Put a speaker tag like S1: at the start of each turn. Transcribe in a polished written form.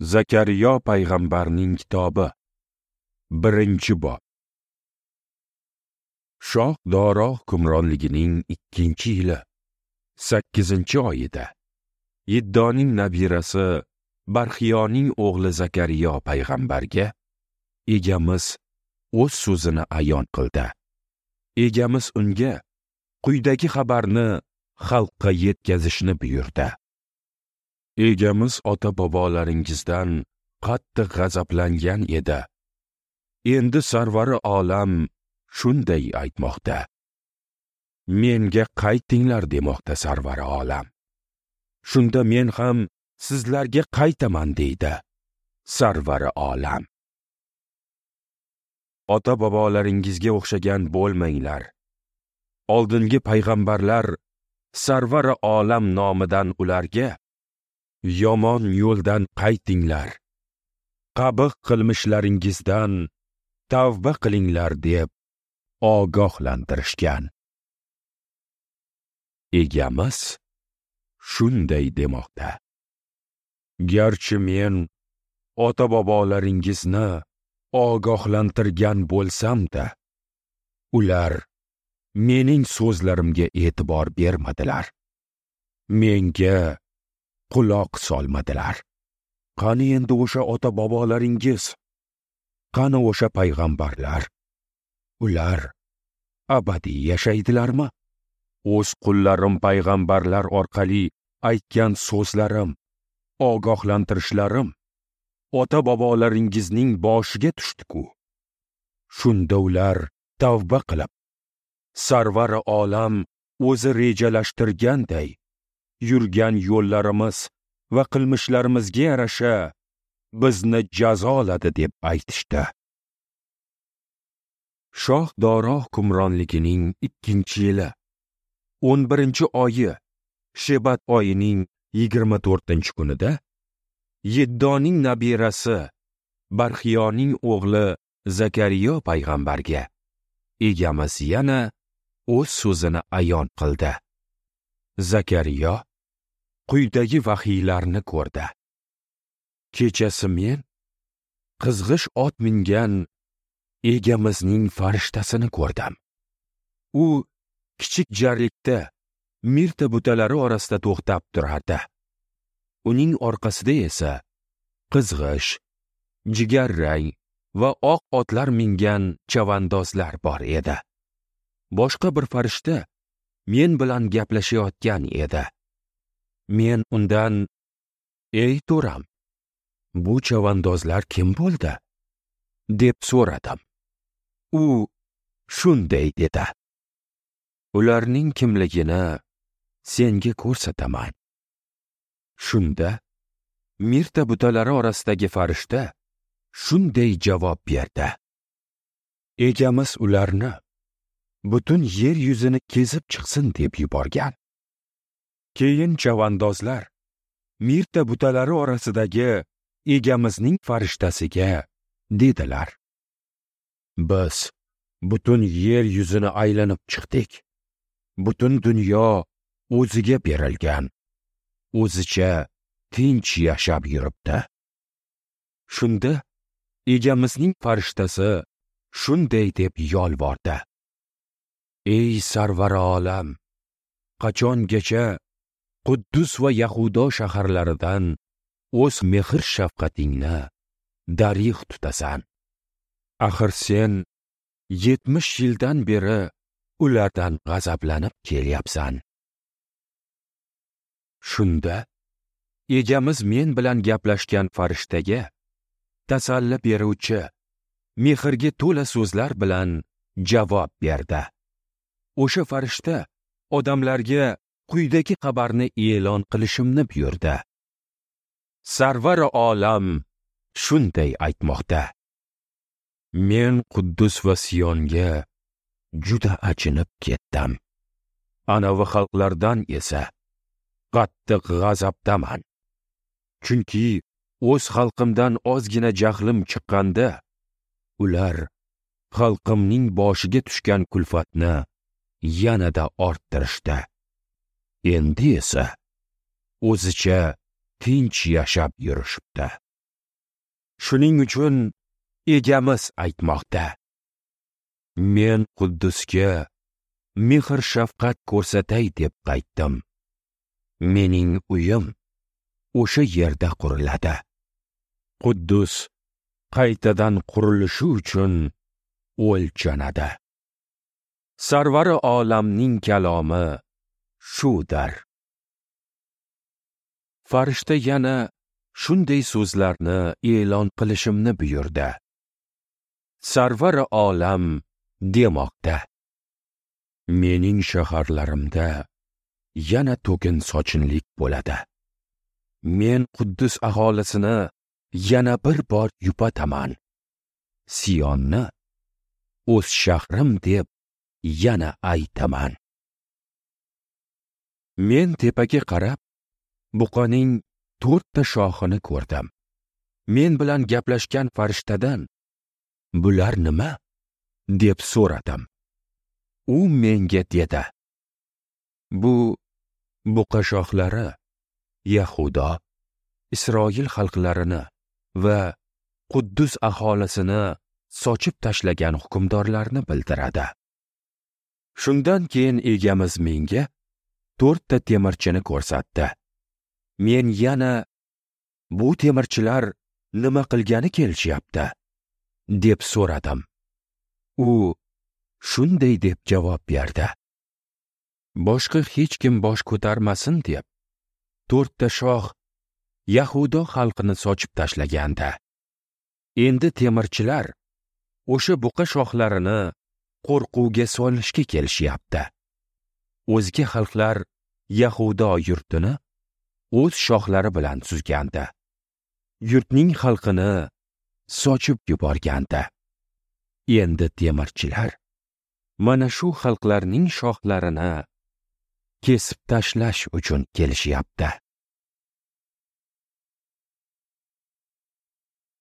S1: Zakariyo payg'ambarning kitobi, 1-bob. Shoh Doro hukmronligining 2-yili, 8-oyida Yiddoning nabirasi Barxiyoning o'g'li Zakariyo payg'ambarga Egamiz o'z so'zini ayon qildi. Egamiz unga quyidagi xabarni xalqqa yetkazishni buyurdi. Egamiz ota-bobolaringizdan qattiq g'azablangan edi. Endi sarvari olam shunday aytmoqda: Menga qaytinglar demoqda sarvari olam. Shunda men ham sizlarga qaytaman deydi sarvari olam. Ota-bobolaringizga o'xshagan bo'lmanglar. Oldingi payg'ambarlar sarvari olam nomidan ularga: yomon yo'ldan qaytinglar, qabih qilmishlaringizdan tavba qilinglar deb ogohlantirishgan. Egamiz shunday demoqda: Garchi men ota-bobolaringizni ogohlantirgan bo'lsam-da, ular mening so'zlarimga e'tibor bermadilar. Menga quloq solmadilar. Qani endi o'sha ota-bobolaringiz? Qani o'sha payg'ambarlar? Ular abadiy yashaydilarmi? O'z qullarim payg'ambarlar orqali aytgan so'zlarim, ogohlantirishlarim ota-bobolaringizning boshiga tushdi-ku. Shunda ular tavba qilib, sarvari olam o'zi rejalashtirganday yurgan yo'llarimiz va qilmishlarimizga yarasha bizni jazoladi deb aytishdi. Shoh Doro hukmronligining 2-yili, 11-oyi, Shebat oyining 24-kunida Yiddoning nabirasi Barxiyoning o'g'li Zakariyo payg'ambarga Egamiz yana o'z so'zini ayon qildi. Zakariyo quyidagi vahiylarni ko'rdi. Kechasi men qizg'ish ot mingan Egamizning farishtasini ko'rdim. U kichik jarlikda mirta butalari orasida to'xtab turardi. Uning orqasida esa qizg'ish, jigarrang va oq otlar mingan chavandozlar bor edi. Boshqa bir farishta men bilan gaplashayotgan edi. Men undan: "Ey to'ram, bu chavandozlar kim bo'ldi?" deb so'radim. U shunday dedi: "Ularning kimligini senga ko'rsataman." Shunda mirta butalari orasidagi farishta shunday javob berdi: Egamiz ularni butun yer yuzini kezib chiqsin deb yuborgan. Keyin chavandozlar mirta butalari orasidagi Egamizning farishtasiga dedilar: Biz butun yer yuzini aylanib chiqdik. Butun dunyo o'ziga berilgan, o'zicha tinch yashab yuribdi. Shunda Egamizning farishtasi shunday deb yolvordi: Ey sarvari olam, qachongacha Quddus va Yahudo shaharlaridan o'z mehr shafqatingni darig'u tutasan? Axir sen 70 yildan beri ulardan g'azablanib kelyapsan. Shunda Egamiz men bilan gaplashgan farishtaga tasalli beruvchi, mehrga to'la so'zlar bilan javob berdi. O'sha farishta odamlarga quyidagi xabarni e'lon qilishimni buyurdi. Sarvari olam shunday aytmoqda: Men Quddus va Siyonga juda achinib ketdim. Anavi xalqlardan esa qattiq g'azabdaman. Chunki o'z xalqimdan ozgina jahlim chiqqanda, ular xalqimning boshiga tushgan kulfatni yanada orttirishdi. Endi esa o'zicha tinch yashab yurishibdi. Shuning uchun Egamiz aytmoqda: Men Quddusga mehr shafqat ko'rsatay deb qaytdim. Mening uyim o'sha yerda quriladi. Quddus qaytadan qurilishi uchun o'lchanadi. Sarvari olamning kalomi shudir. Farishta yana shunday so'zlarni e'lon qilishimni buyurdi. Sarvari olam demoqda: Mening shaharlarimda yana to'kin sochinlik bo'ladi. Men Quddus aholisini yana bir bor yupataman. Siyonni o'z shahrim deb yana aytaman. Men tepaga qarab, buqaning 4 ta shoxini ko'rdim. Men bilan gaplashgan farishtadan: "Bular nima?" deb so'radim. U menga dedi: "Bu buqa shoxlari Yahudo, Isroil xalqlarini va Quddus aholisini sochib tashlagan hukmdorlarni bildiradi." Shundan keyin Egamiz menga 4 ta temirchini ko'rsatdi. Men yana: "Bu temirchilar nima qilgani kelishyapti?" deb so'radim. U shunday deb javob berdi: Boshqa hech kim bosh ko'tarmasin deb 4 ta shoh Yahudo xalqini sochib tashlagandi. Endi temirchilar o'sha buqa shoxlarini qo'rquvga solishga kelishyapti. O'zga xalqlar Yahudo yurtini o'z shoxlari bilan suzgandi. Yurtning xalqini sochib yuborgandi. Endi temirchilar mana shu xalqlarning shoxlarini kesib tashlash uchun kelishyapti.